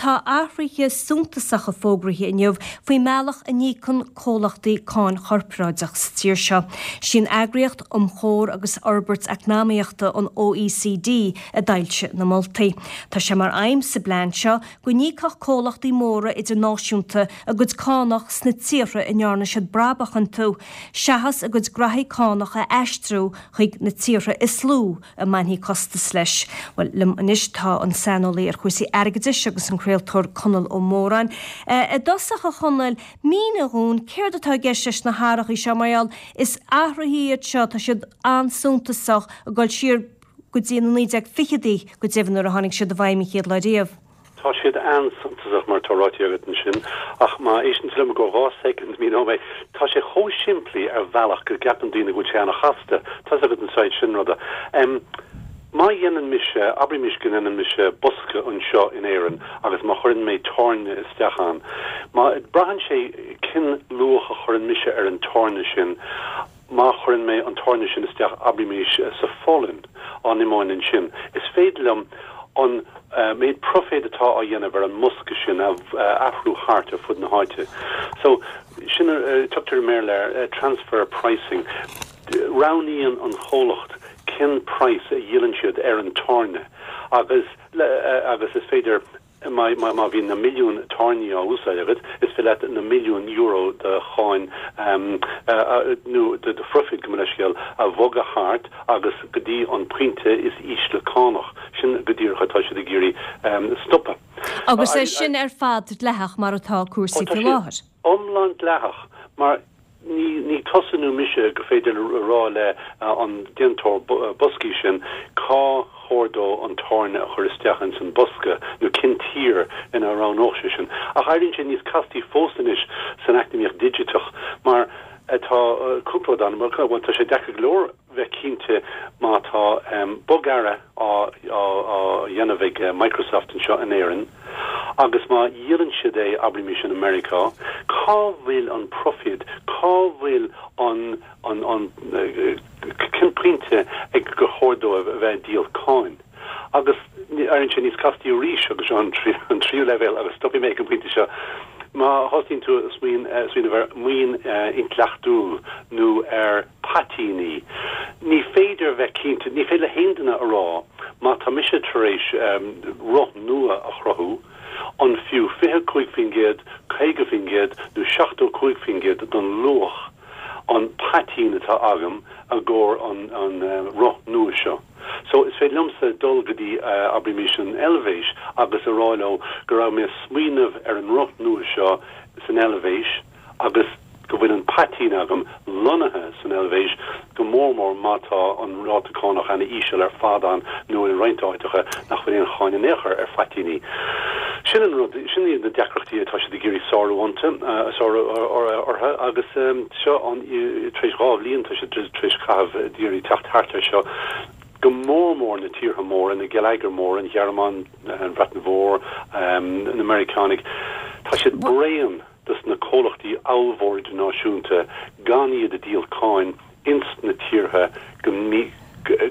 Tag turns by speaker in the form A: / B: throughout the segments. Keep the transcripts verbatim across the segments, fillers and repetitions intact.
A: tá athruithe suntasacha fógraithe inniu faoin mbealach a n-íocann comhlachtaí cáin chorparáideach sa tír seo. Sin eagraíocht um chomhar agus fhorbairt eacnamaíochta an OECD a d'fhoilsigh na moltaí. Tá sé mar aidhm sa bplean seo go n-íocfadh comhlachtaí móra idirnáisiúnta a gcuid cánach sna tíortha a ndearna siad brabach iontu, seachas a gcuid graithí cánach a aistriú chuig na tíortha is lú a mbainfidh costas leis. Well liom anois tá an saineolaí ar chúrsaí airgeadais agus an craoltóir Conall Ó Móráin. I dtosach a Chonaill mínigh dúinn céard atá i gceist leis na hathruithe seo mar is athruithe iad seo tá siad an-suntasach ag dul siar go dtí na naoi déag fichidí go deimhin nuair a tháinig siad i bhfeidhm an chéad lá riamh.
B: Tá siad an-suntasach mar tá ráite agat ansin ach má éisteann tú liom go dhá soicind míneoidh mé tá sé chomh simplí ar bhealach go gceapann daoine go bhfuil sé an-chasta Tá agat an said sin ruda. Um, Má dhéanann mise abraimis go ndéanann mise bosca anseo in Éirinn agus má chuireann mé tairne isteach ann. Má braitheann sé cén luach a chuireann mise ar an tairne sin, má chuireann mé an tairne sin isteach abraimis sa Pholainn an imóin sin. Is féidir liom an uh, méid profit atá á dhéanamh ar an mbosca sin a uh, athrú thart ar fud na háite. So sin uh, tugtar mér le uh, transfer pricing. Roghnaíonn an chomhlacht cén price a dhíolann siad ar an tairne agus le, uh, agus is féidir má má bhíonn na milliún tairní á úsáid agat is féidir leat na milliún euro de cháin um, uh, nó de de profit go leiscéal a bhogadh thart agus go dtí an pointe is ísle cánach sin go díreach atá siad ag iarraidh um, stopadh.
A: Agus é sin ar fad dleathach mar atá cúrsaí faoi láthair.
B: Iomlán dleathach mar ní ní tusa nó mise gur féidir rá le uh, an déantóir boscaí sin cá chóir dó an tairne a chur isteach in san bosca nó cén tír ina roghnódh sé sin. Ach éiríonn sé níos castaí fós anois san eacnamaíocht digiteach mar atá uh, cúpla dan tá sé deacair go leor bheith cinnte má tá um, bogearra á dhéanamh ag uh, Microsoft anseo in Éirinn. agus má dhíolann siad é abraimis in America, cá bhfuil an profit, cá bhfuil an an an uh, cén pointe ag gur chóir dó a bheith díol cáin. Agus éiríonn sé níos castaí arís agus an an tríú leibhéal agus stopfaidh mé an pointe seo. Má thosaíonn tú smaoineamh ar maoin intleachtúil nó ar paitinní. Ní féidir bheith cinnte, ní féidir le haon duine a rá má tá mise tar éis um, roth nua a chruthú, an fiú fiche cúig faoin gcéad, caoga faoin gcéad nó seachtó cúig faoin gcéad don luach an paitinn atá agam i gcomhair an, an uh, roth nua seo. So is féidir liomsa dul go dtí uh, abraimis an Eilvéis agus a rá leo go raibh mé smaoineamh ar an roth nua seo san Eilvéis agus go bhfuil an paitinn agam lonnaithe san Eilvéis go mór mór má tá an ráta cánach an-íseal ar fad ann nó i roinnt áiteacha nach bhfuil aon cháin in aon chor ar phaitinní. Sin an rud sin iad na deacrachtaí atá siad ag iarraidh sárú iontu sárú orthu agus seo an tar éis dhá bhliain tá siad tar éis caitheamh ag iarraidh teacht thart ar seo go mór mór na tíortha móra na geilleagair mór an Ghearmáin an Bhreatain Mhór na Meiriceánaigh Tá siad bréan dos na comhlachtaí ollmhóra náisiúnta gan iad a díol cáin ins na tíortha go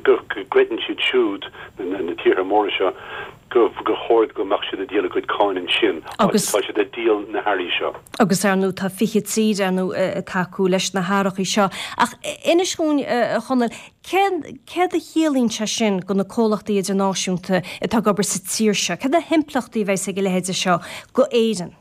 B: go gcreideann siad siúd na, na tíortha móra seo go go chóir go mbeadh siad ag díol a gcuid cáin ansin
A: agus
B: tá siad ag díol na hearraí seo.
A: Agus ar ndóigh tá fiche tír ar ndóigh tacú leis na hathruithe seo. Ach inis dúinn Chonaill céard a chiallaíonn sé sin go na comhlachtaí idirnáisiúnta atá ag obair sa tír seo, Cad na himpleachtaí a bheas ag a leithéid seo go Éirinn?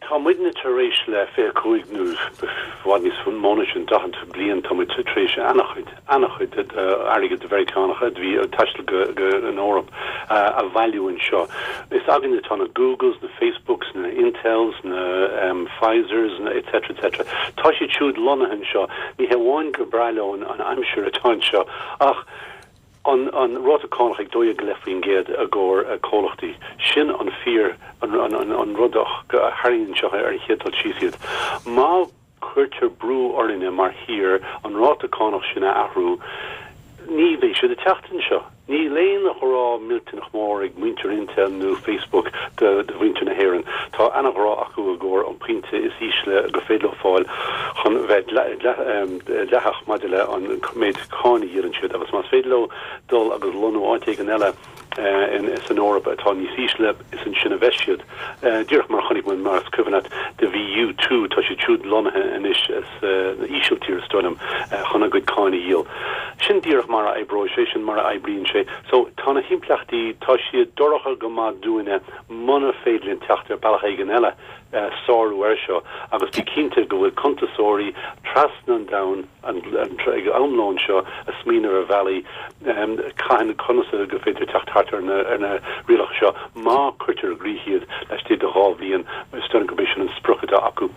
B: Tá muidne tar éis le fiche cúig nó bhfad níos mó ná sin daichead bliain tá muid tar éis an-chuid an-chuid airgead de Mheiriceánacha bhí taisteal go go an Eoraip a bhailiú anseo. Is againne atá na Googles, na Facebooks, na Intels, na um, Pfizers, na etc etc. Tá siad siúd lonnaithe anseo, ní hamháin gur breá leo an aimsir atá anseo ach an an ráta cánach ag dó dhéag go leith faoin gcéad i gcomhair comhlachtaí. Sin an fíor an, an, an, an rud a tharraingíonn seo ar an chéad dul síos iad. Má cuirtear brú orainne mar thír an ráta cánach sin a athrú, ní bheidh siad ag teacht anseo. Níl aon ghrá millteanach mór ag muintir Intel nó Facebook de, de mhuintir na hÉireann. Tá an-ghrá acu i gcomhair an pointe is ísle gur féidir leo fáil chun bheith dleathach maidir le an méid cáin a dhíolann siad agus más féidir leo dul agus lonnú áit éigin eile in san Eoraip atá níos ísle is ansin a bheidh siad. Díreach mar chonaic muid mar is cuimhin leat do bhí U two tá siad siúd lonnaithe anois san Ísiltír is dóigh liom chun a gcuid cáin a dhíol. Sin díreach mar a oibreoidh sé, sin mar a oibríonn sé. So tá na himpleachtaí, tá siad dorcha go maith dúinne muna féidir linn teacht ar bealach éigin eile sárú air seo agus bí cinnte go bhfuil cuntasóirí trasna an domhain ag am lóin seo ag smaoineamh ar bhealaí cathain conas go féidir teacht thart ar na ar na rialacha seo má cuirtear i gcrích iad laistigh de dhá bhliain is dóigh liom gurb é sin an sprioc atá acu.